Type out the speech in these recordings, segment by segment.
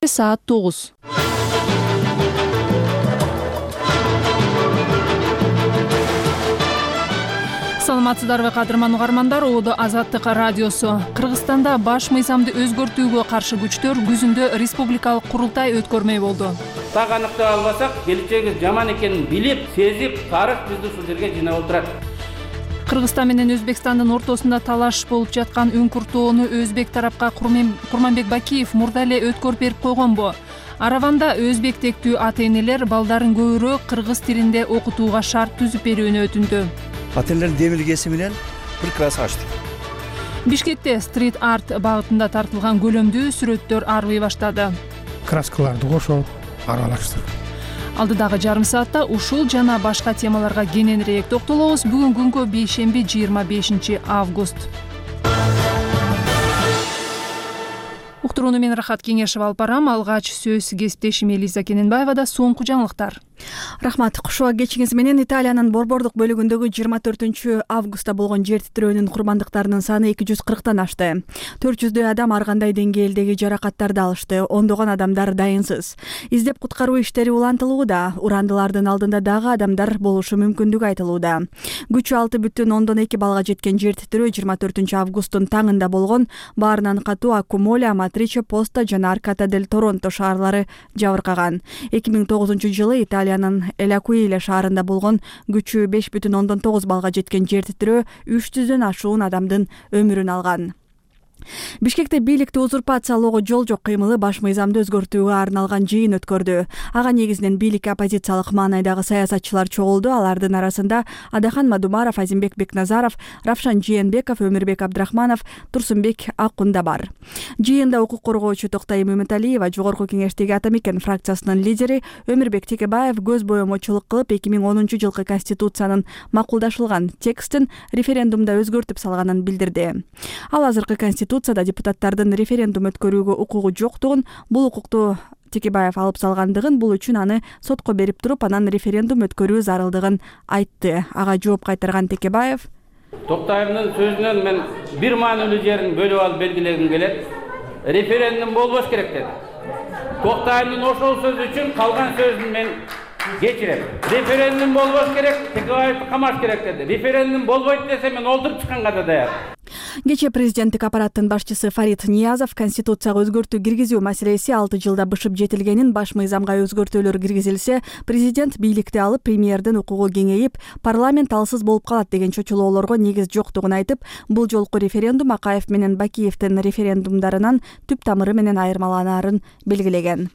саат 9. Саламатсыздарбы кадырман угармандар, Оодо Азаттык радиосу. Кыргызстанда баш мыйзамды өзгөртүүгө каршы күчтөр күзүндө республикалык курултай өткөрмөй болду. Так аныктай албасак, келечеги жаман экенин билип, сезип, тарых бизди ушул жерге жыйнап отурат. Кыргызстан менен Өзбекстандын ортосунда талаш болуп жаткан үңкүртоону өзбек тарапка Курманбек Бакиев мурда эле өткөрүп берип койгонбу? Араванда өзбек тектүү ата-энелер балдарын көбүрөөк кыргыз тилинде окутууга шарт түзүп берүүнү өтүндү. Ата-энелердин демилгеси менен бир класс ачтык. Бишкекте стрит-арт багытында тартылган көлөмдүү сүрөттөр арбый баштады. Краскаларды кошуп, аралаштырып. Алдыдагы жарым саатта ушул жана башка темаларга кененирээк токтолобуз. Бүгүн күнгө бейшемби 25 август. Уктурууну мен Рахат Кеңешев алып барам. Алгач сөз кесиптешим Элиза Кененбаевада. Соңку жаңылыктар. Рахмат. Кушуа кечиңиз менен Италиянын борбордук бөлүгүндөгү 24 августта болгон жер титирөөнүн курмандыктарынын саны 240тан ашты. 400дөй адам ар кандай деңгээлдеги жаракаттарды алышты. Ондогон адамдар дайынсыз. Издеп куткаруу иштери улантылууда. Урандылардын алдында дагы адамдар болушу мүмкүндүгү айтылууда. Күчү 6,2 балга жеткен жер титирөө 24 августтун таңында болгон. Баарынан катуу Аккумоля, Матриче, Поста жана Арката дель Торонто шаарлары жабыркаган. 2009-жылы Италиянын Элакуиле шаарында болгон күчү 5,9 балга жеткен жер титирөө 300дөн ашуун адамдын өмүрүн алган. Бишкекте бийликти узурпациялоого жол жок кыймылы баш мыйзамды өзгөртүүгө арналган жыйын өткөрдү. Ага негизинен бийликке оппозициялык маанайдагы саясатчылар чогулду. Алардын арасында Адахан Мадумаров, Азимбек Бекназаров, Равшан Жээнбеков, Өмүрбек Абдрахманов, Турсунбек Аккунда бар. Жыйында укук коргоочу Токтай Мөмөталиева, Жогорку Кеңештеги Атамекен фракциясынын лидери Өмүрбек Текебаев көз боемочулук кылып 2010-жылкы Конституциянын макулдашылган текстин референдумда өзгөртүп салганын билдирди. Ал азыркы Конституцияда депутаттардын референдум өткөрүүгө укугу жоктугун, бул укукту Текебаев алып салгандыгын, бул үчүн аны сотко берип туруп, анан референдум өткөрүү зарылдыгын айтты. Ага жооп кайтарган Текебаев: Токтаевдин сөзүнөн мен бир маанилүү жерин бөлүп алып белгилегим келет. Референдум болбош керек деди. Токтаевдин ошол сөзү үчүн калган сөзүн мен кечирем. Референдум болбош керек, Текебаевди камаш керек деди. Референдум болбойт десе мен олтуруп чыкканга да даяр. Кечээ президенттик аппараттын башчысы Фарид Ниязов Конституцияга өзгөртүү киргизүү маселеси 6 жылда бышып жетилгенин, баш мыйзамга өзгөртүүлөр киргизилсе, президент бийликти алып, премьердин укугу кеңейип, парламент алсыз болуп калат деген чочулоолорго негиз жоктугун айтып, бул жолку референдум Акаев менен Бакиевдин референдумдарынан түп тамыры менен айырмаланаарын белгилеген.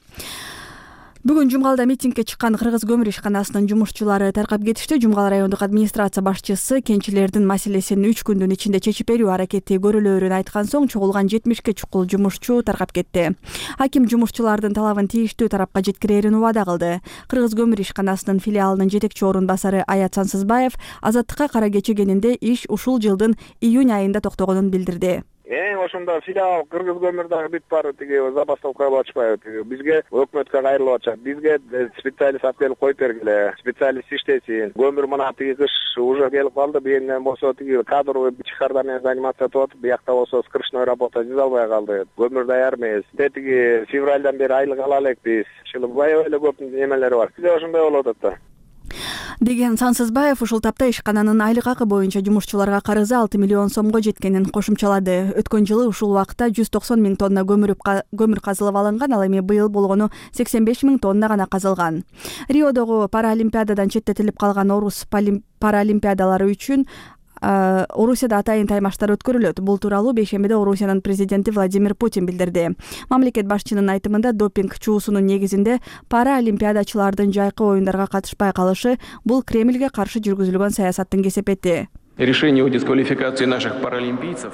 Бүгүн Жумгалда митингге чыккан Кыргыз көмүр ишканасынын жумушчулары таркап кетишти. Жумгал райондук администрация башчысы кенчилердин маселесин 3 күндүн ичинде чечип берүү аракети көрүлөөрүн айткан соң, чогулган 70ке чукул жумушчу таркап кетти. Аким жумушчулардын талабын тийиштүү тарапка жеткирээрин убада кылды. Кыргыз көмүр ишканасынын филиалынын жетекчи орун басары Аят Сансызбаев Азаттыкка кара кече кенинде иш ушул жылдын июнь айында токтогонун билдирди. Ошондо филиал Кыргыз көмүр дагы бүтүп барып, забастовкага ачпайбы. Бизге өкмөткө кайрылып атышат. Бизге специалист алып келип коюп бергиле. Специалист иштесин. Көмүр мына кыш уже келип калды. Бүйүнөн болсо кадровый чыгардан заниматься этип атып, биякта болсо скрышной работа жүзө албай калды. Көмүр даяр эмес. Февралдан бери айлык ала элекпиз. Аябай эле көп немелери бар. Бизде ошондой болуп атат да. Деген Сансызбаев ушул тапта ишкананын айлык акы боюнча жумушчуларга карызы 6 миллион сомго жеткенин кошумчалады. Өткөн жылы ушул убакта 190 миң тонна көмүр казылып алынган, ал эми быйыл болгону 85 миң тонна гана казылган. Риодогу паралимпиададан четтетилип калган орус паралимпиадалары үчүн Орусияда атайын таймаштар өткөрүлөт. Бул тууралуу бейшембиде Орусиянын президенти Владимир Путин билдирди. Мамлекет башчынын айтымында допинг чуусунун негизинде паралимпиадачылардын жайкы оюндарга катышпай калышы бул Кремльге каршы жүргүзүлгөн саясаттын кесепети. Решение о дисквалификации наших паралимпийцев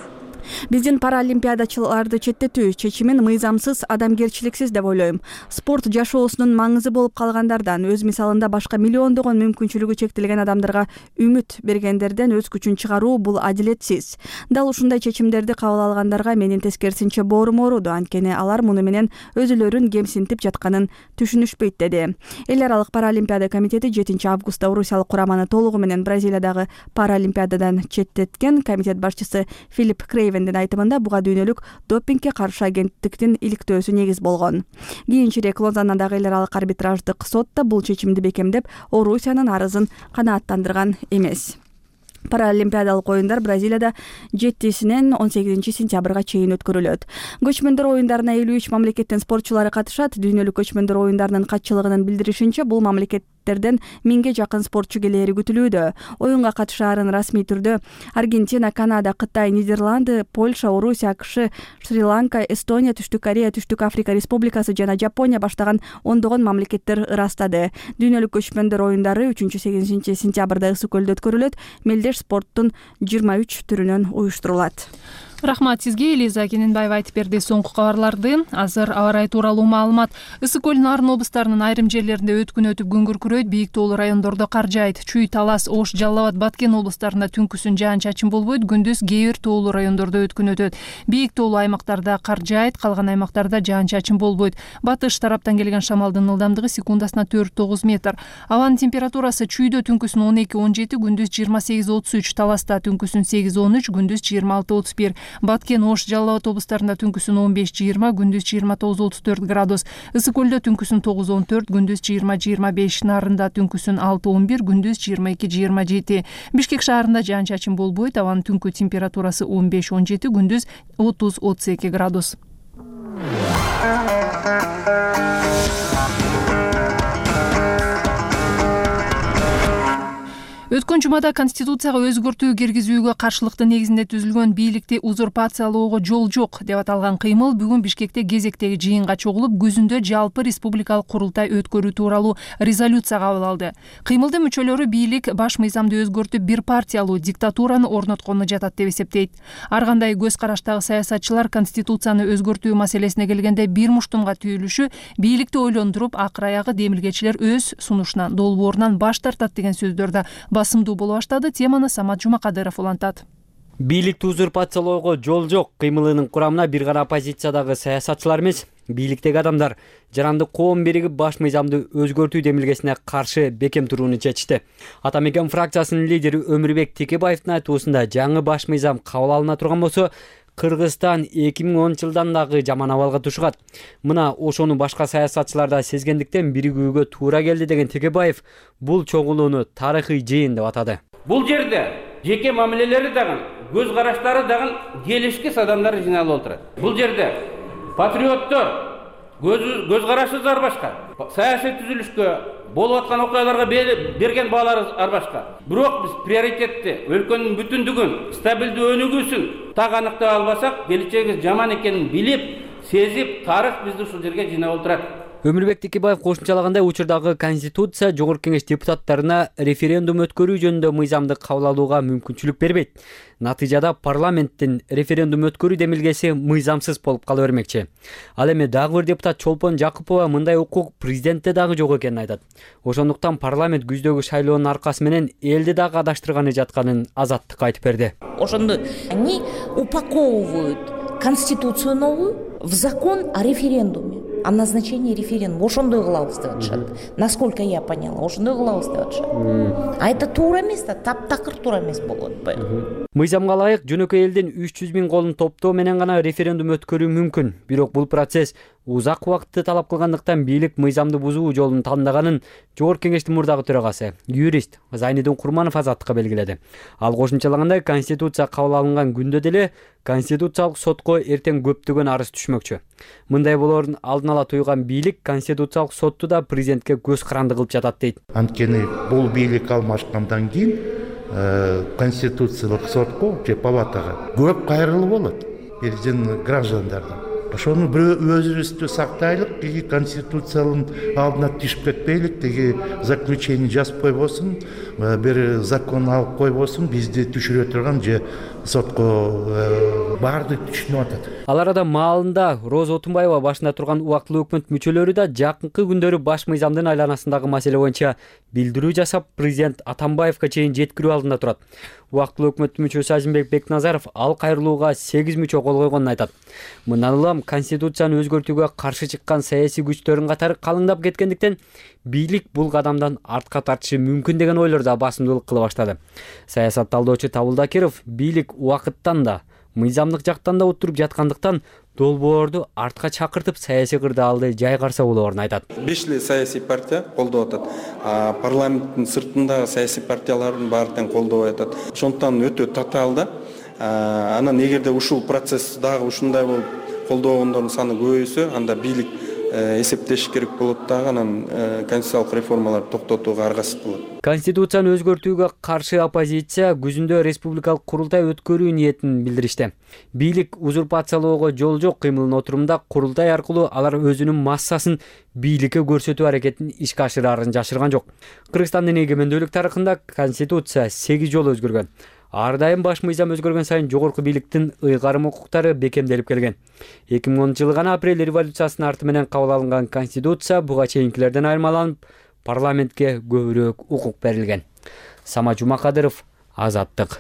Биздин паралимпиадачыларды четтетүү чечимин мыйзамсыз, адамгерчиликсиз деп ойлойм. Спорт жашоосунун маңызы болуп калгандардан, өз мисалында башка миллиондогон мүмкүнчүлүгү чектелген адамдарга үмүт бергендерден өз күчүн чыгаруу бул адилетсиз. Дал ушундай чечимдерди кабыл алгандарга менин тескерисинче боорум ооруду, анткени алар муну менен өзүлөрүн кемсинтип жатканын түшүнүшпөйт деди. Эл аралык паралимпиада комитети 7 августта орусиялык кураманы толугу менен Бразилиядагы паралимпиададан четтеткен. Комитет башчысы Филипп Крейвен министрлеринин айтымында буга дүйнөлүк допингге каршы агенттиктин иликтөөсү негиз болгон. Кийинчерээк Лозаннадагы эл аралык арбитраждык сот да бул чечимди бекемдеп, Орусиянын арызын канааттандырган эмес. Паралимпиадалык оюндар Бразилияда 7-синен 18 сентябрга чейин өткөрүлөт. Көчмөндөр оюндарына 53 мамлекеттин спортчулары катышат. Дүйнөлүк көчмөндөр оюндарынын катчылыгынын билдиришинче, бул мамлекеттерден 1000ге жакын спортчу келери күтүлүүдө. Оюнга катышаарын расмий түрдө Аргентина, Канада, Кытай, Нидерланды, Польша, Орусия, AQSh, Шри-Ланка, Эстония, Түштүк Корея, Түштүк Африка Республикасы жана Жапония баштаган ондогон мамлекеттер ырастады. Дүйнөлүк көчмөндөр оюндары 3-8 сентябрда Ысык көлдө өткөрүлөт. Мелдеш спорттун 23 түрүнөн уюштурулат. Рахмат сизге, Элиза Кененбаева айтып берди соңку кабарларды. Азыр аба ырайы тууралуу маалымат. Ысык көл Нарын облустарынын айрым жерлеринде өткүн өтүп күн күркүрөйт, бийик тоолуу райондордо кар жаайт. Чүй, Талас, Ош, Жалал Абад, Баткен облустарында түнкүсүн жаан-чачын болбойт, күндүз кээ бир тоолуу райондордо өткүн өтөт. Бийик тоолуу аймактарда кар жаайт, калган аймактарда жаан-чачын болбойт. Батыш тараптан келген шамалдын ылдамдыгы секундасына 4-9 метр. Абанын температурасы Чүйдө түнкүсүн 12-17, күндүз 28-33, Таласта түнкүсүн 8-13, күндүз 26-31. Баткен, Ош, Жалал Абад облустарында түнкүсүн 15-20, күндүз 29-34 градус. Ысык көлдө түнкүсүн 9-14, күндүз 20-25, Нарында түнкүсүн 6-11, күндүз 22-27. Бишкек шаарында жаан-чачын болбойт, абанын түнкү температурасы 15-17, күндүз 30-32 градус. Өткөн жумада Конституцияга өзгөртүү киргизүүгө каршылыктын негизинде түзүлгөн бийликти узурпациялоого жол жок деп аталган кыймыл бүгүн Бишкекте кезектеги жыйынга чогулуп, күзүндө жалпы республикалык курултай өткөрүү тууралуу резолюция кабыл алды. Кыймылдын мүчөлөрү бийлик баш мыйзамды өзгөртүп, бир партиялуу диктатураны орноткону жатат деп эсептейт. Ар кандай көз караштагы саясатчылар Конституцияны өзгөртүү маселесине келгенде бир муштумга түйүлүшү бийликти ойлондуруп, акыр аягы демилгечилер өз сунушунан, долбоорунан баш тартат деген сөздөр да басымдуу боло баштады. Теманы Самат Жумакадыров улантат. Бийликти узурпациялоого жол жок кыймылынын курамына бир гана оппозициядагы саясатчылар эмес, бийликтеги адамдар жарандык коом биригип баш мыйзамды өзгөртүү демилгесине каршы бекем турууну чечти. Ата Мекен фракциясынын лидери Өмүрбек Текебаевдин айтуусунда жаңы баш мыйзам кабыл алына турган болсо, Кыргызстан 2010-жылдан дагы жаман абалга түшүп. Мына ошону башка саясатчылар да сезгендиктен биригүүгө туура келди деген Текебаев бул чогулууну тарыхый жыйын деп атады. Бул жерде жеке мамилелери дагы, көз караштары дагы келишкис адамдар жыйналып отурат. Бул жерде патриоттор, көз карашы ар башка, саясий түзүлүшкө, болуп аткан окуяларга берген баалары ар башка. Бирок биз приоритетти, өлкөнүн бүтүндүгүн, стабилдүү өнүгүүсүн так аныктай албасак, келечегибиз жаман экенин билип, сезип, тарых бизди ушул жерге жыйнап отурат. Өмүрбек Текебаев кошумчалагандай, учурдагы Конституция Жогорку Кеңеш депутаттарына референдум өткөрүү жөнүндө мыйзамды кабыл алууга мүмкүнчүлүк бербейт. Натыйжада парламенттин референдум өткөрүү демилгеси мыйзамсыз болуп кала бермекчи. Ал эми дагы бир депутат Чолпон Жакупова мындай укук президентте дагы жок экенин айтат. Ошондуктан парламент күздөгү шайлоонун аркасы менен элди дагы адаштырганы жатканын Азаттыкка айтып берди. Ошондо они упаковывают Конституцию новую в закон о референдуме, о назначении референдума. Ошондой кылабыз деп атышат. Насколько я поняла, ошондой кылабыз деп атышат. А это туура эмес да, таптакыр туура эмес болот атпайбы? Мыйзамга ылайык жөнөкөй элдин 300 000 колун топтоо менен гана референдум өткөрүү мүмкүн. Бирок бул процесс узак убакытты талап кылгандыктан бийлик мыйзамды бузуу жолун тандаганын Жогорку Кеңештин мурдагы төрагасы, юрист Зайнидин Курманов Азаттыкка белгиледи. Ал кошумчалагандай, Конституция кабыл алынган күндө деле Конституциялык сотко эртең көптөгөн арыз түшмөкчү. Мындай болоорун алдын ала туйган бийлик Конституциялык сотту да президентке көз каранды кылып жатат дейт. Анткени бул бийлик алмашкандан кийин Конституциялык сотко же палатага көп кайрылуу болот биздин граждандардан. Ошону өзүбүздү сактайлык, тиги Конституциянын алдына түшүп кетпейлик, тиги заключение жазып койбосун, бир закон алып койбосун, бизди түшүрө турган же сотко баарды түшүнүп атат. Ал арада маалында Роза Отунбаева башында турган убактылуу өкмөт мүчөлөрү да жакынкы күндөрү баш мыйзамдын айланасындагы маселе боюнча билдирүү жасап, президент Атамбаевка чейин жеткирүү алдында турат. Убактылуу өкмөттүн мүчөсү Азимбек Бекназаров ал кайрылууга 8 мүчө кол койгонун айтат. Мындан улам Конституцияны өзгөртүүгө каршы чыккан саясий күчтөрдүн катары калыңдап кеткендиктен бийлик бул кадамдан артка тартышы мүмкүн деген ойлор да басымдуулук кыла баштады. Саясат талдоочу Табыл Дакиров бийлик убакыттан да мыйзамдык жактан да отуруп жаткандыктан долбоорду артка чакыртып саясий кырдаалды жайгарса болоорун айтат. 5 эле саясий партия колдоп атат. Парламенттин сыртындагы саясий партиялардын баары тең колдоп атат. Ошондуктан өтө татаал. Анан эгерде ушул процесс дагы ушундай болуп колдогондордун саны көбөйсө, анда бийлик эсептеш керек болот дагы, анан конституциялык реформаларды токтотууга аргасыз болот. Конституцияны өзгөртүүгө каршы оппозиция күзүндө республикалык курултай өткөрүү ниетин билдиришти. Бийлик узурпациялоого жол жок кыймылынын отурумда курултай аркылуу алар өзүнүн массасын бийликке көрсөтүү аракетин ишке ашырарын жашырган жок. Кыргызстандын эгемендүүлүк тарыхында конституция 8 жолу өзгөргөн. Ар дайым баш мыйзам өзгөргөн сайын жогорку бийликтин ыйгарым укуктары бекемделип келген. 2010-жылы гана апрель революциясынын арты менен кабыл алынган конституция буга чейинкилерден айырмаланып, парламентке көбүрөөк укук берилген. Сама Жумакадыров, Азаттык.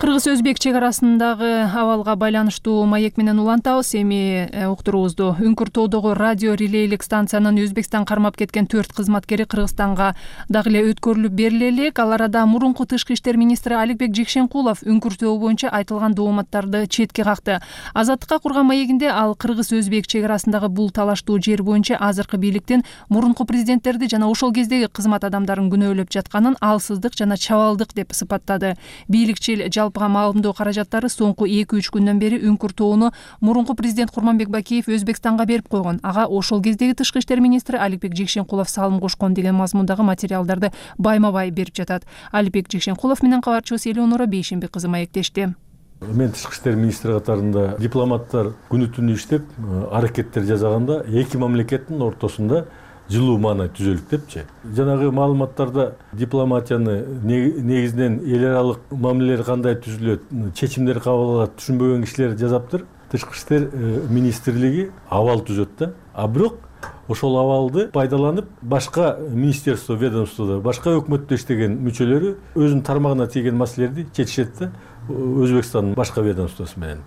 Кыргыз-өзбек чек арасындагы абалга байланыштуу маек менен улантабыз. Эми уктуруубузду Үңкүр тоодогу радио релейлик станциянын Өзбекстан кармап кеткен 4 кызматкери Кыргызстанга дагы эле өткөрүлүп бериле элек. Ал арада мурунку тышкы иштер министри Аликбек Жекшенкулов Үңкүр тоо боюнча айтылган дооматтарды четке какты. Азаттыкка курган маегинде ал Кыргыз-өзбек чек арасындагы бул талаштуу жер боюнча азыркы бийликтин мурунку президенттерди жана ошол кездеги кызмат адамдарын күнөөлөп жатканын алсыздык жана чабалдык деп сыпаттады. Бийликчил маалымдоо каражаттары соңку 2-3 күндөн бери Үңкүр тоону мурунку президент Курманбек Бакиев Өзбекстанга берип койгон. Ага ошол кездеги тышкы иштер министри Аликбек Жекшенкулов салым кошкон деген мазмундагы материалдарды байма-бай берип жатат. Аликбек Жекшенкулов менен кабарчыбыз Элеонора Бейшемби кызы маектешти. Мен тышкы иштер министри катарында дипломаттар күнү-түнү иштеп, аракеттер жасаганда эки мамлекеттин ортосунда жылуу маанай түзөлүп депчи. Жанагы маалыматтарда дипломатияны негизинен эл аралык мамилелер кандай түзүлөт, чечимдер кабыл алат түшүнбөгөн кишилер жазаптыр. Тышкы иштер министрлиги абал түзөт да. А бирок ошол абалды пайдаланып башка министерство, ведомствода, башка өкмөттө иштеген мүчөлөрү өзүнүн тармагына тийген маселелерди чечишет да Өзбекстандын башка ведомствосу менен.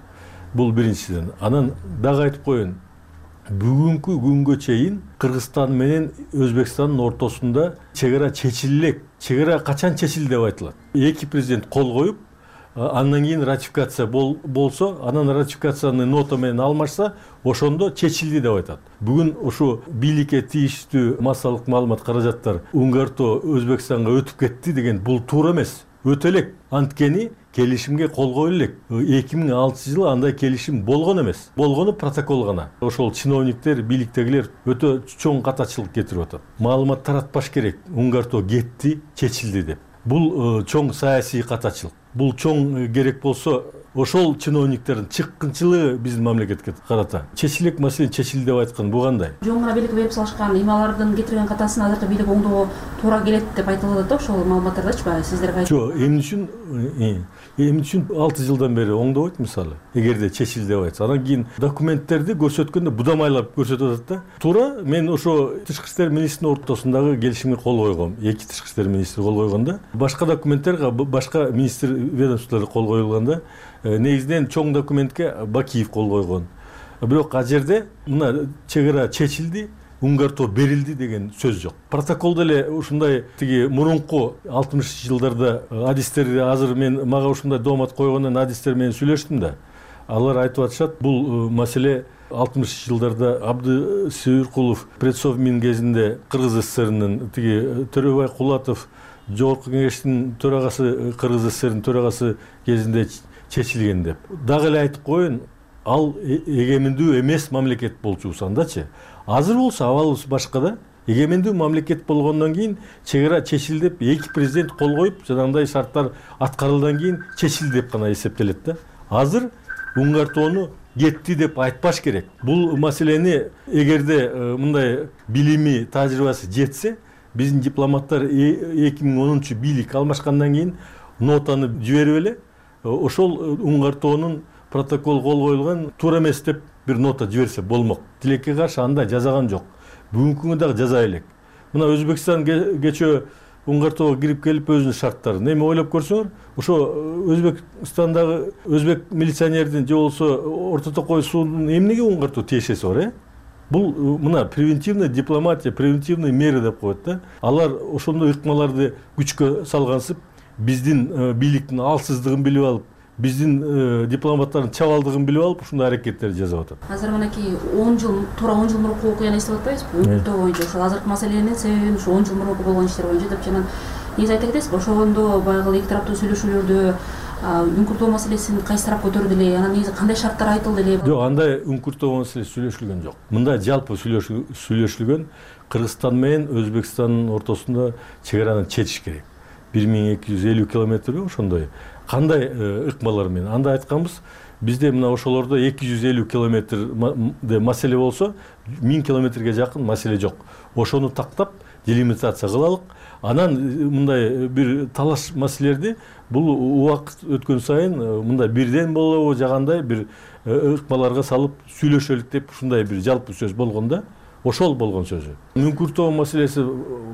Бул биринчиден. Анан дагы айтып коеюн. Бүгүнкү күнгө чейин Кыргызстан менен Өзбекстандын ортосунда чек ара чечиле элек. Чек ара качан чечилди деп айтылат. Эки президент кол коюп, андан кийин ратификация болсо, анан ратификацияны нота менен алмашса, ошондо чечилди деп айтат. Бүгүн ушу бийликке тийиштүү массалык маалымат каражаттар Үңкүр Өзбекстанга өтүп кетти деген бул туура эмес. Өтө элек. Анткени келишимге кол коюлу элек. 2006-жылы андай келишим болгон эмес. Болгону протокол гана. Ошол чиновниктер, бийликтегилер өтө чоң катачылык кетирип атат. Маалымат таратпаш керек. Үңкүр кетти, чечилди деп. Бул чоң саясий катачылык. Бул чоң керек болсо, ошол чиновниктердин чыккынчылыгы биздин мамлекетке карата. Чечилек маселе чечилди деп айткан бу кандай? Жөн гана бийликке берип салышкан ималардын кетирген катасын азыркы бийлик оңдоого туура келет деп айтылып атат да, ошол маалыматтардачы баягы сиздерге айтып. Жок, эмне үчүн 6 жылдан бери оңдобойт мисалы? Эгерде чечилди деп айтса, анан кийин документтерди көрсөткөндө будамайлап көрсөтүп атат да. Туура, мен ошо тышкы иштер министринин ортосундагы келишимге кол койгом. Эки тышкы иштер министри кол койгонда, башка документтерге башка министр ведомстволор кол коюлганда, негизинен чоң документке Бакиев кол койгон. Бирок ал жерде мына чек ара чечилди, Үңкүр берилди деген сөз жок. Протоколдо эле ушундай тиги мурунку 60-жылдарда адистерди азыр мен мага ушундай доомат койгондон адистер менен сүйлөштүм да. Алар айтып атышат, бул маселе 60-жылдарда Абды Сүйүркулов предсовмин кезинде Кыргыз СССРнын тиги Төрөбай Кулатов Жогорку кеңештин төрагасы, Кыргыз СССРнын төрагасы кезинде чечилген деп. Дагы эле айтып коеюн, ал эгемендүү эмес мамлекет болчусандачы. Азыр болсо абалыбыз башка да. Эгемендүү мамлекет болгондон кийин чек ара чечилди деп эки президент кол коюп, жанагындай шарттар аткарылгандан кийин чечилди деп гана эсептелет да. Азыр Үңкүр тоону кетти деп айтпаш керек. Бул маселени эгерде мындай билими, тажрыйбасы жетсе, биздин дипломаттар 2010 бийлик алмашкандан кийин нотаны жиберип эле, ошол Үңкүр тоонун протокол кол коюлган туура эмес деп бир нота жиберсе болмок. Тилекке каршы андай жазаган жок. Бүгүнкү күндө дагы жаза элек. Мына Өзбекстан кечөө Үңкүр тоого кирип келип өзүнүн шарттарын эми ойлоп көрсөңөр, ошо Өзбекстандагы өзбек милиционердин же болбосо Орто Токой суунун эмнеге Үңкүр тоо тиешеси бар, Бул мына превентивный дипломатия, превентивный меры деп коет да. Алар ошондой ыкмаларды күчкө салгансып, биздин бийликтин алсыздыгын билип алып, биздин дипломаттардын чабалдыгын билип алып ушундай аракеттерди жасап атат. Азыр мынакей 10 жыл, туура 10 жыл мурунку окуяны эстеп атпайбызбы? Өлкөдө боюнча ошол азыркы маселенин себебин ушу 10 жыл мурунку болгон иштер боюнча деп жана негизи айта кетесизби, ошондо баягы эки тараптуу сүйлөшүүлөрдө үңкүртөө маселесин кайсы тарап көтөрдү эле, анан негизи кандай шарттар айтылды эле? Жок, андай үңкүртөө маселеси сүйлөшүлгөн жок. Мында жалпы сүйлөшүлгөн Кыргызстан менен Өзбекстандын ортосунда чек чечиш керек. 1250 километр ошондой. Кандай ыкмалар менен? Анда айтканбыз, бизде мына ошолордо 250 километрде маселе болсо, 1000 километрге жакын маселе жок. Ошону тактап, делимитация кылалык. Анан мындай бир талаш маселелерди бул убакыт өткөн сайын мындай бирден болобу жагандай бир ыкмаларга салып сүйлөшөлүк деп ушундай бир жалпы сөз болгондо, ошол болгон сөзү. Үңкүртөө маселеси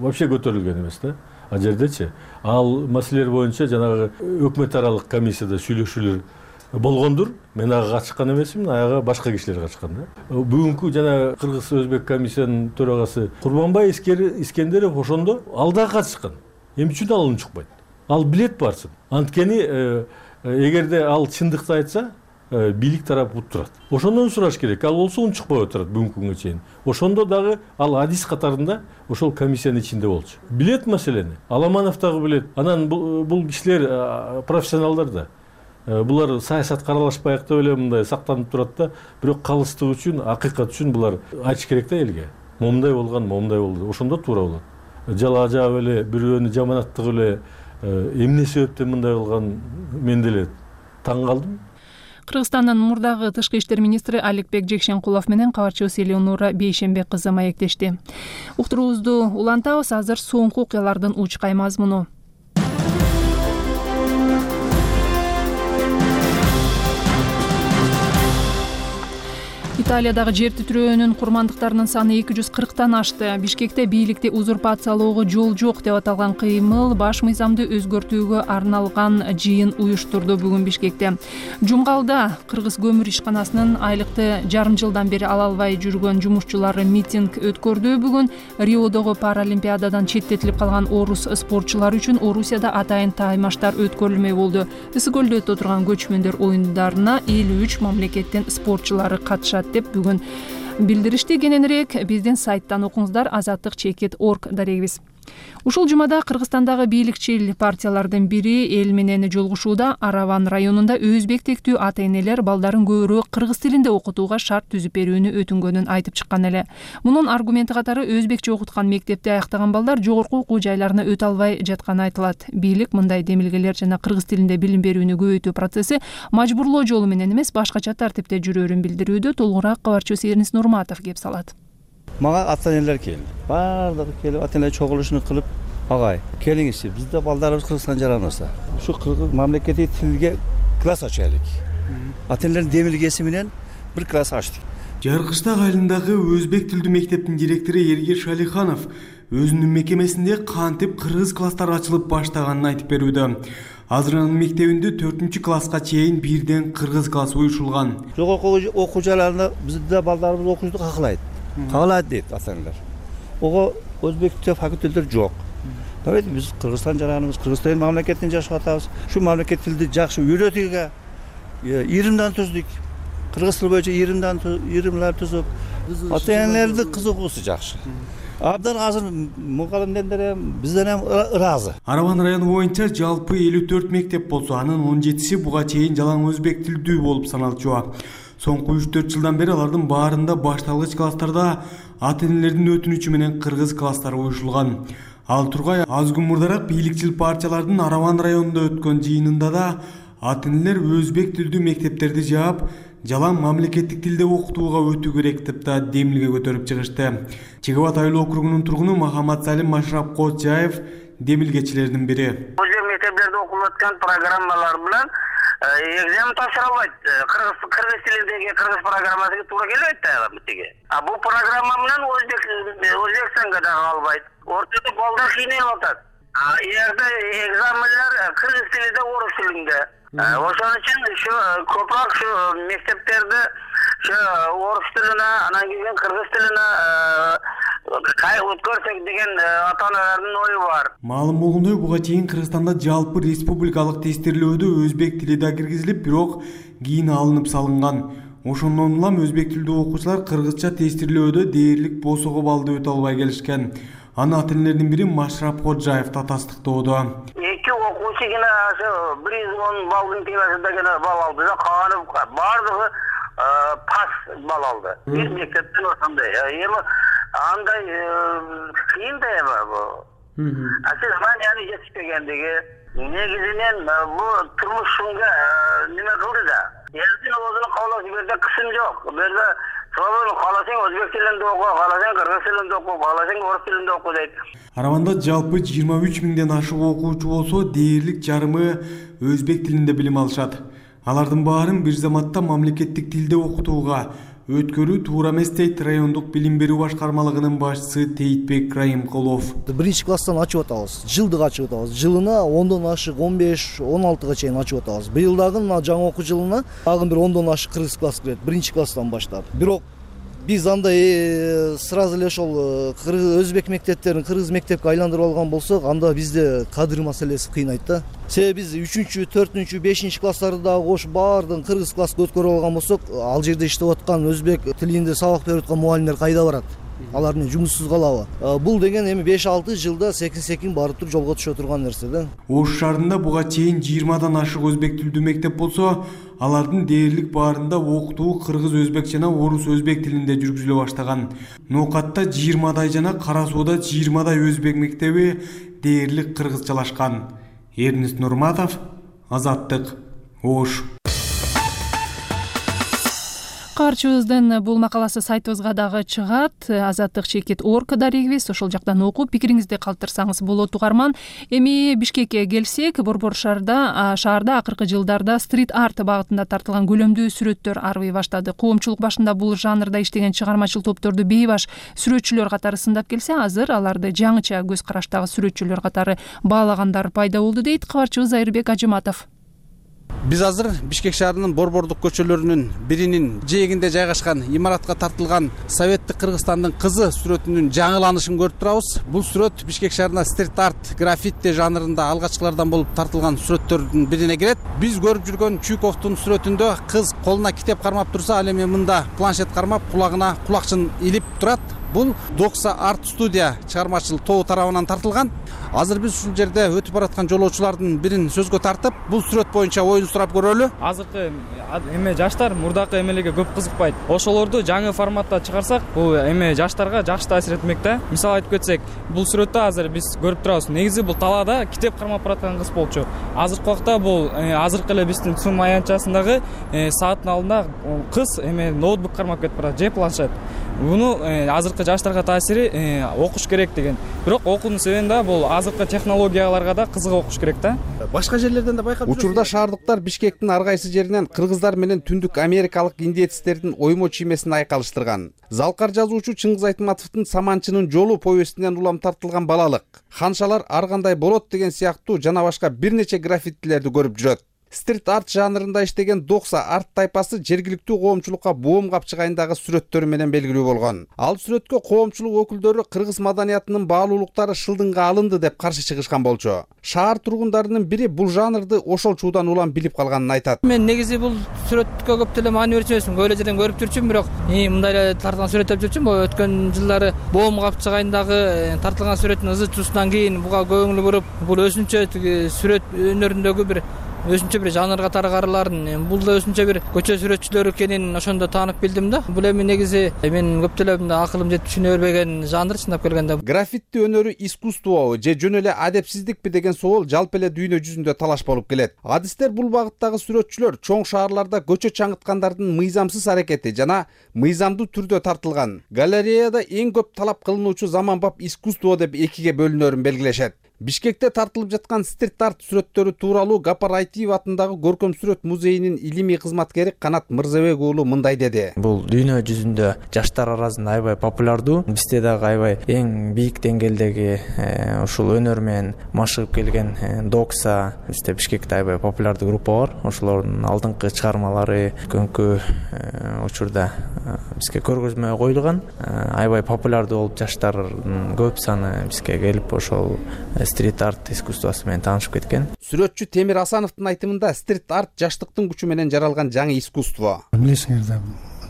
вообще көтөрүлгөн эмес да. А жердечи ал маселелер боюнча жанагы өкмөт аралык комиссияда сүйлөшүүлөр болгондур. Мен ага катышкан эмесмин, ага башка кишилер катышкан да. Бүгүнкү жана Кыргыз-Өзбек комиссиянын төрагасы Курманбай Искендеров ошондо ал да катышкан. Эмне үчүн ал унчукпайт? Ал билет барсын. Анткени эгерде ал чындыкты айтса, бийлик тарапы уттурат. Ошондон сураш керек. Ал болсо унчукпай отурат бүгүнкү күнгө чейин. Ошондо дагы ал адис катарында ошол комиссиянын ичинде болчу. Билет маселени. Аламанов дагы билет. Анан бул кишилер профессионалдар да. Булар саясатка аралашпайык деп эле мындай сактанып турат да, бирок калыстык үчүн, акыйкат үчүн булар айтыш керек да элге. Момундай болгон, момундай болду. Ошондо туура болот. Жала жаап эле бирөөнү жаманаттык эле эмне себептен мындай болгон мен деле таң калдым. Кыргызстандын мурдагы тышкы иштер министри Аликбек Жекшенкулов менен кабарчыбыз Элеонора Бейшенбек кызы маектешти. Уктуруубузду улантабыз, азыр соңку окуялардын учкай мазмуну. Италиядагы жер титирөөнүн курмандыктарынын саны 240тан ашты. Бишкекте бийликти узурпациялоого жол жок деп аталган кыймыл баш мыйзамды өзгөртүүгө арналган жыйын уюштурду бүгүн Бишкекте. Жумгалда Кыргыз көмүр ишканасынын айлыкты жарым жылдан бери ала албай жүргөн жумушчулары митинг өткөрдү. Бүгүн Риодогу Паралимпиададан четтетилип калган орус спортчулары үчүн Орусияда атайын таймаштар өткөрүлмөй болду. Ысык көлдө өтө турган көчмөндөр оюндарына 53 мамлекеттин спортчулары катышат деп бүгүн билдиришти. Кененирээк биздин сайттан окуңуздар, azattik.org дарегибиз. Ушул жумада Кыргызстандагы бийликчил партиялардын бири эл менен жолугушууда. Араван районунда өзбек тектүү ата-энелер балдарын көбүрөөк кыргыз тилинде окутууга шарт түзүп берүүнү өтүнгөнүн айтып чыккан эле. Мунун аргументи катары өзбекче окуткан мектепти аяктаган балдар жогорку окуу жайларына өтө албай жатканы айтылат. Бийлик мындай демилгелер жана кыргыз тилинде билим берүүнү көбөйтүү процесси мажбурлоо жолу менен эмес, башкача тартипте жүрөөрүн билдирүүдө. Толугураак кабарчыбыз Эрнис Нурматов кеп салат. Мага ата-энелер келди. Баардыгы келип ата-энелер чогулушуну кылып, агай, келиңизчи, бизде балдарыбыз Кыргызстан жараныбызда. Ушу кыргыз мамлекеттик тилге класс ачайлык. Ата-энелердин демилгеси менен бир класс ачтык. Жаркыштак айылындагы өзбек тилдүү мектептин директору Эргир Шалиханов өзүнүн мекемесинде кантип кыргыз класстар ачылып баштаганын айтып берүүдө. Азыр анын мектебинде 4-класска чейин бирден кыргыз классы уюшулган. Жогорку окуу жайларында бизде балдарыбыз окуучу каалайт. Каалайт дейт ата-энелер. Ого өзбек тил факультеттер жок. Давайте биз Кыргызстан жараныбыз, Кыргызстан мамлекетинде жашап атабыз. Ушу мамлекет тилди жакшы үйрөтүүгө иримдан түздүк. Кыргыз тили боюнча иримлер түзүп, ата-энелердин кызыгуусу жакшы. Абдан азыр мугалимдер бизден ham ыраазы. Араван району боюнча жалпы 54 мектеп болсо, анын 17си буга чейин жалаң өзбек тилдүү болуп саналчу. Соңку 3-4 жылдан бери алардын баарында башталгыч класстарда ата-энелердин өтүнүчү менен кыргыз класстары уюшулган. Ал тургай аз күн мурдараак бийликчил партиялардын Араван районунда өткөн жыйынында да ата-энелер өзбек тилдүү мектептерди жаап, жалаң мамлекеттик тилде окутууга өтүү керек деп да демилге көтөрүп чыгышты. Чек Абад айыл округунун тургуну Махамат Салим Машрап Кочаев демилгечилердин бири. Өзбек мектептерде окулуп аткан программалар менен экзамен тапшыра албайт. Кыргыз тилиндеги кыргыз программасына туура келбейт да бутиге. А бул программа менен Өзбекстанга да албайт. Ортодо балдар кыйналып атат. Эгерде экзаменler кыргыз тилинде, орус тилинде. Ошон үчүн ушу көпүрөөк ушу мектептерде ушу орус тилине, анан кийин кыргыз тилине өткөрсөк деген ата-аналардын ою бар. Маалым болгондой, буга чейин Кыргызстанда жалпы республикалык тестирлөөдө өзбек тили да киргизилип, бирок кийин алынып салынган. Ошондон улам өзбек тилдүү окуучулар кыргызча тестирлөөдө дээрлик босого баллды өтө албай келишкен. Аны ата-энелердин бири Машрап Ходжаев да тастыктоодо. Эки окуучу гана ошо 110 баллдын темесинде гана балл алды да, калганы бардыгы пас балл алды. Бир мектептен ошондой. Эми андай кыйын да эми бу. Сиз манияны жетишпегендиги негизинен бу турмушунга неме кылды да. Элдин өзүнүн каалоосу берде кысым жок. Берде соболу кааласаң өзбек тилинде оку, кааласаң кыргыз тилинде оку, кааласаң орус тилинде оку дейт. Араванда жалпы 23 миңден ашык окуучу болсо, дээрлик жарымы өзбек тилинде билим алышат. Алардын баарын бир заматта мамлекеттик тилде окутууга өткөрүү туура эмес дейт райондук билим берүү башкармалыгынын башчысы Тейтбек Райымкулов. Биринчи класстан ачып атабыз, жылдык ачып атабыз. Жылына 10дон ашык 15-16га чейин ачып атабыз. Быйыл дагы жаңы окуу жылына дагы бир 10дон ашык кыргыз класс кирет, биринчи класстан баштап. Бирок биз андай сразу эле ошол өзбек мектептерин кыргыз мектепке айландырып алган болсок, анда бизде кадр маселеси кыйнайт да. Себеби биз 3-чү, 4-чү, 5-чи класстарды дагы кошуп баардыгын кыргыз класска өткөрүп алган болсок, ал жерде иштеп аткан өзбек тилинде сабак берип аткан мугалимдер кайда барат? Алар эмне жумуссуз калабы? Бул деген эми 5-6 жылда секин барып туруп жолго түшө турган нерсе да. Ош шаарында буга чейин 20дан ашык өзбек тилдүү мектеп болсо, алардын дээрлик баарында окутуу кыргыз өзбек жана орус өзбек тилинде жүргүзүлө баштаган. Ноокатта 20дай жана Кара Сууда 20дай өзбек мектеби дээрлик кыргызчалашкан. Эрнест Нурматов, Азаттык, Ош. Каарчыбыздын бул макаласы сайтыбызга дагы чыгат. Азаттык.org дарегибиз, ошол жактан окуп пикириңизди калтырсаңыз болот угарман. Эми Бишкекке келсек, Борбор шаарда акыркы жылдарда стрит-арт багытында тартылган көлөмдүү сүрөттөр арбый баштады. Коомчулук башында бул жанрда иштеген чыгармачыл топторду бейбаш сүрөтчүлөр катары сындап келсе, азыр аларды жаңыча көз караштагы сүрөтчүлөр катары баалагандар пайда болду, дейт кабарчыбыз Айырбек Ажыматов. Биз азыр Бишкек шаарынын борбордук көчөлөрүнүн биринин жээгинде жайгашкан имаратка тартылган Советтик Кыргызстандын кызы сүрөтүнүн жаңыланышын көрүп турабыз. Бул сүрөт Бишкек шаарына стрит-арт, граффити жанрында алгачкылардан болуп тартылган сүрөттөрдүн бирине кирет. Биз көрүп жүргөн Чуйковдун сүрөтүндө кыз колуна китеп кармап турса, ал эми мында планшет кармап, кулагына кулакчын илип турат. Бул Докса арт студия чыгармачыл тобу тарабынан тартылган. Азыр биз ушул жерде өтүп бараткан жолоочулардын бирин сөзгө тартып, бул сүрөт боюнча оюн сурап көрөлү. Азыркы эме жаштар мурдакы эмелерге көп кызыкпайт. Ошолорду жаңы форматта чыгарсак, бул эме жаштарга жакшы таасир этмек да. Мисалы айтып кетсек, бул сүрөттө азыр биз көрүп турабыз. Негизи бул талаада китеп кармап бараткан кыз болчу. Азыркы убакта бул азыркы эле биздин сум аянтчасындагы сааттын алдында кыз эме ноутбук кармап кетип барат, же планшет. Буну азыркы жаштарга таасири окуш керек деген. Бирок окуунун себеби да бул азыркы технологияларга да кызыгып окуш керек да. Башка жерлерден да байкап жүрөсүз. Учурда шаардыктар Бишкектин ар кайсы жеринен кыргыздар менен түндүк америкалык индеецтердин оймо чиймесин айкалыштырган. Залкар жазуучу Чыңгыз Айтматовдун Саманчынын жолу повестинен улам тартылган балалык, ханшалар ар кандай болот деген сыяктуу жана башка бир нече граффитилерди көрүп жүрөт. Стрит-арт жанрында иштеген Докса арт тайпасы жергиликтүү коомчулукка боом капчык айындагы сүрөттөрү менен белгилүү болгон. Ал сүрөткө коомчулук өкүлдөрү кыргыз маданиятынын баалуулуктары шылдыңга алынды деп каршы чыгышкан болчу. Шаар тургундарынын бири бул жанрды ошол чуудан улам билип калганын айтат. Мен негизи бул сүрөткө көп деле маани берчү эмесмин. Көйлө жерден көрүп жүрчүмүн, бирок мындай эле тартылган сүрөт деп жүрчүмүн. Бул өткөн жылдары боом капчык айындагы тартылган сүрөттүн ызы чуусунан кийин буга көңүл буруп, бул өзүнчө сүрөт өнөрүндөгү бир өзүнчө бир жанрга тарыгаарларын, бул да өзүнчө бир көчө сүрөтчүлөр экенин ошондо таанып билдим да. Бул эми негизи мен көп деле акылым жетип түшүнө бербеген жанр чындап келгенде. Граффити өнөрү искусствобу же жөн эле адепсиздикпи деген соол жалпы эле дүйнө жүзүндө талаш болуп келет. Адистер бул багыттагы сүрөтчүлөр чоң шаарларда көчө чаңыткандардын мыйзамсыз аракети жана мыйзамдуу түрдө тартылган. Галереяда эң көп талап кылынуучу заманбап искусство деп экиге бөлүнөрүн белгилешет. Бишкекте тартылып жаткан стрит-арт сүрөттөрү тууралуу Гапар Айтиев атындагы көркөм сүрөт музейинин илимий кызматкери Канат Мырзабек уулу мындай деди. Бул дүйнө жүзүндө жаштар арасында аябай популярдуу. Бизде дагы аябай эң бийик деңгээлдеги ушул өнөр менен машыгып келген Докса, бизде Бишкекте аябай популярдуу группа бар. Ошолордун алдыңкы чыгармалары көңкү учурда бизге көргөзмө коюлган. Аябай популярдуу болуп жаштардын көп саны бизге келип ошол стрит-арт искусствосу менен таанышып кеткен. Сүрөтчү Темир Асановдун айтымында стрит-арт жаштыктын күчү менен жаралган жаңы искусство. Билесиңер да,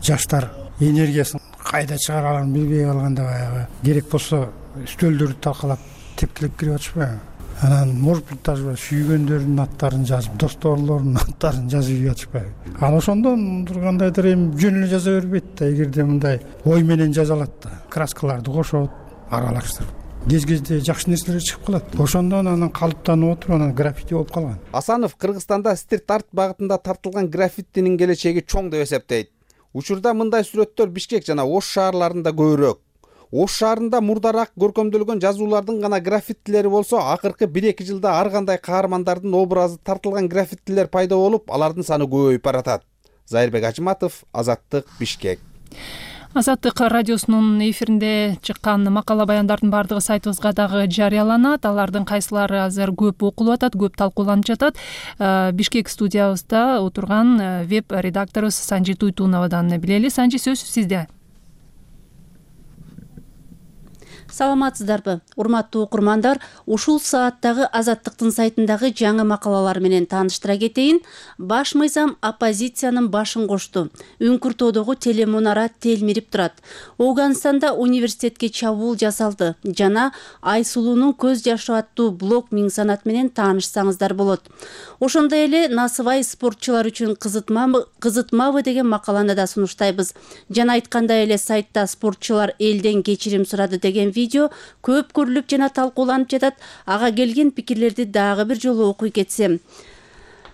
жаштар энергиясын кайда чыгараларын билбей калганда баягы керек болсо үстөлдөрдү талкалап тепкилеп кирип атышпайбы? Анан может быть даже сүйгөндөрдүн аттарын жазып, досторлордун аттарын жазып ийип атышпайбы? Ал ошондон кандайдыр эми жөн эле жаза бербейт да, эгерде мындай ой менен жазалат да, краскаларды кошот, аралаштырып. Кез-кезде жакшы нерселер чыгып калат. Ошондон анан калыптанып отуруп, анан граффити болуп калган. Асанов Кыргызстанда стрит-арт багытында тартылган граффитинин келечеги чоң деп эсептейт. Учурда мындай сүрөттөр Бишкек жана Ош шаарларында көбүрөөк. Ош шаарында мурдараак көркөмдөлгөн жазуулардын гана граффитилери болсо, акыркы 1-2 жылда ар кандай каармандардын образы тартылган граффитилер пайда болуп, алардын саны көбөйүп баратат. Зайырбек Ажыматов, Азаттык, Бишкек. Азаттык радиосунун эфиринде чыккан макала баяндардын баардыгы сайтыбызга дагы жарыяланат. Алардын кайсылары азыр көп окулуп атат, көп талкууланып жатат. Бишкек студиябызда отурган веб редакторубуз Санжи Туйтуновадан билели. Санжи, сөз сизде. Саламатсыздарбы, урматтуу окурмандар? Ушул сааттагы Азаттыктын сайтындагы жаңы макалалар менен тааныштыра кетейин. Баш мыйзам оппозициянын башын кошту. Үңкүртөөдөгү телемунара телмирип турат. Оганстанда университетке чабуул жасалды жана Айсулуунун көз жашы аттуу блог миң санат менен таанышсаңыздар болот. Ошондой эле Насыбай спортчулар үчүн кызытмабы деген макаланы да сунуштайбыз. Жана айткандай эле сайтта спортчулар элден кечирим сурады деген видео көп көрүлүп жана талкууланып жатат. Ага келген пикирлерди дагы бир жолу окуй кетсем.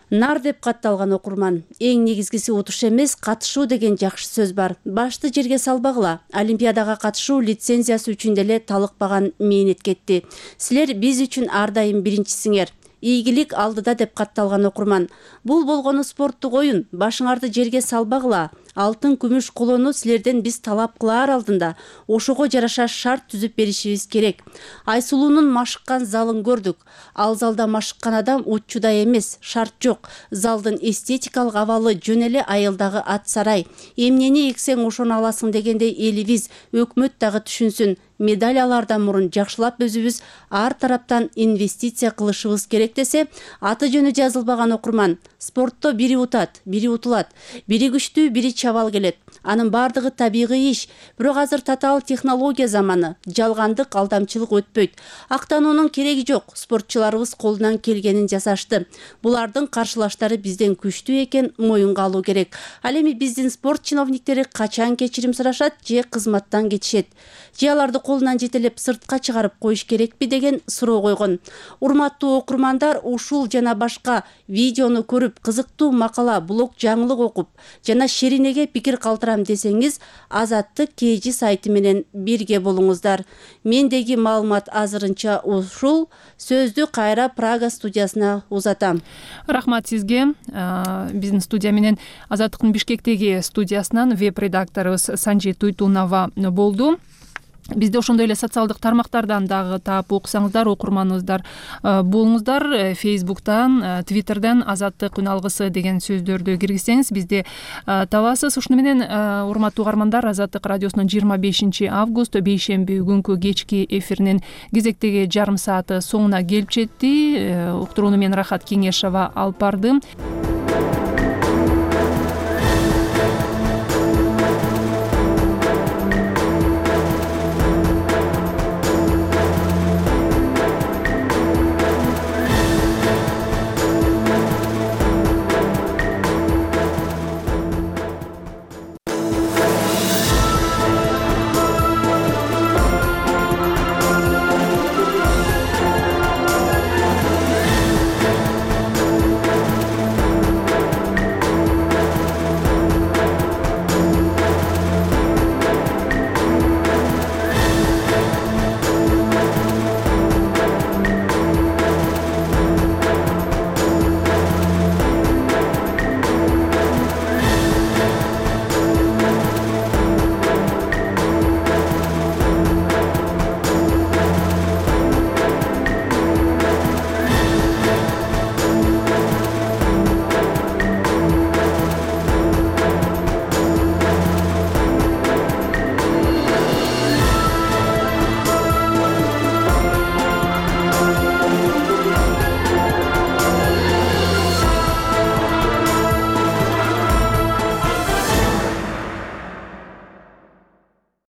Нар деп катталган окурман. Эң негизгиси утуш эмес, катышуу деген жакшы сөз бар. Башты жерге салбагыла. Олимпиадага катышуу лицензиясы үчүн деле талыкпаган мээнет кетти. Силер биз үчүн ар дайым биринчисиңер. Ийгилик алдыда деп катталган окурман. Бул болгону спорттук оюн. Башыңарды жерге салбагыла. Алтын, күмүш, колону силерден биз талап кылаар алдында ошого жараша шарт түзүп беришибиз керек. Айсулуунун машыккан залын көрдүк. Ал залда машыккан адам уччудай эмес, шарт жок. Залдын эстетикалык абалы жөн эле айылдагы ат сарай. Эмнени эксең ошону аласың дегендей элибиз, өкмөт дагы түшүнсүн. Медаль алардан мурун жакшылап өзүбүз ар тараптан инвестиция кылышыбыз керек десе, аты жөнү жазылбаган окурман. Спортто бири утат, бири утулат. Бири күчтүү, бири чабал келет. Анын бардыгы табигый иш. Бирок азыр татаал технология заманы. Жалгандык, алдамчылык өтпөйт. Актануунун кереги жок. Спортчуларыбыз колунан келгенин жасашты. Булардын каршылаштары бизден күчтүү экен, моюнга алуу керек. Ал эми биздин спорт чиновниктери качан кечирим сурашат же кызматтан кетишет? Же аларды колунан жетелеп сыртка чыгарып коюш керекпи деген суроо койгон. Урматтуу окурмандар, ушул жана башка видеону көрүп, кызыктуу макала, блог жаңылык окуп жана шеринеге пикир калтырам десеңиз, Азаттык KG сайты менен бирге болуңуздар. Мендеги маалымат азырынча ушул. Сөздү кайра Прага студиясына узатам. Рахмат сизге. Биздин студия менен Азаттыктын Бишкектеги студиясынан веб редакторубуз Санжи Туйтунова болду. Бизде ошондой эле социалдык тармактардан дагы таап окусаңыздар, окурманыбыздар болуңуздар. Фейсбуктан, Твиттерден Азаттык үн алгысы деген сөздөрдү киргизсеңиз бизди табасыз. Ушуну менен урматтуу угармандар, Азаттык радиосунун 25 август бейшемби күнкү кечки эфиринин кезектеги жарым сааты соңуна келип жетти. Уктурууну мен Рахат Кеңешова алып бардым.